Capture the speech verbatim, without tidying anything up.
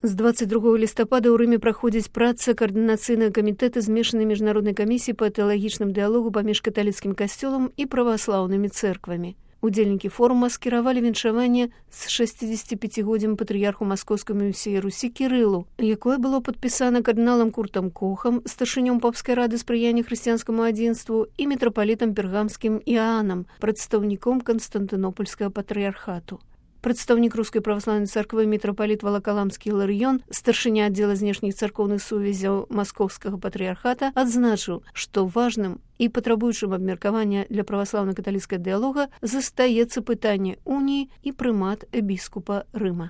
З двадцать другога лістапада ў Рыме праходзіць праца каардынацыйнага камітэта змешанай міжнароднай камісіі па тэалагічным дыялогу паміж каталіцкім касцёлам і праваслаўнымі цэрквамі. Удзельнікі форума скіравалі віншаванне з шэсцідзесяціпяцігоддзям патрыярху маскоўскай і ўсёй Русі Кірылу, якое было падпісана кардыналам Куртам Кохам, старшынём папскай рады спрыяння хрысціянскаму адзінству і мітрапалітам пергамскім Іанам, прадстаўніком Канстантынопольскага патрыярхату. Прадстаўнік рускай праваслаўнай царквы мітрапаліт Валакаламскі Іларыён, старшыня аддзела знешніх царкоўных сувязяў маскоўскага патрыярхата, адзначыў, што важным і патрабуючым абмеркавання для праваслаўна-каталіцкага дыялога застаецца пытанне уніі і прымат біскупа Рыма.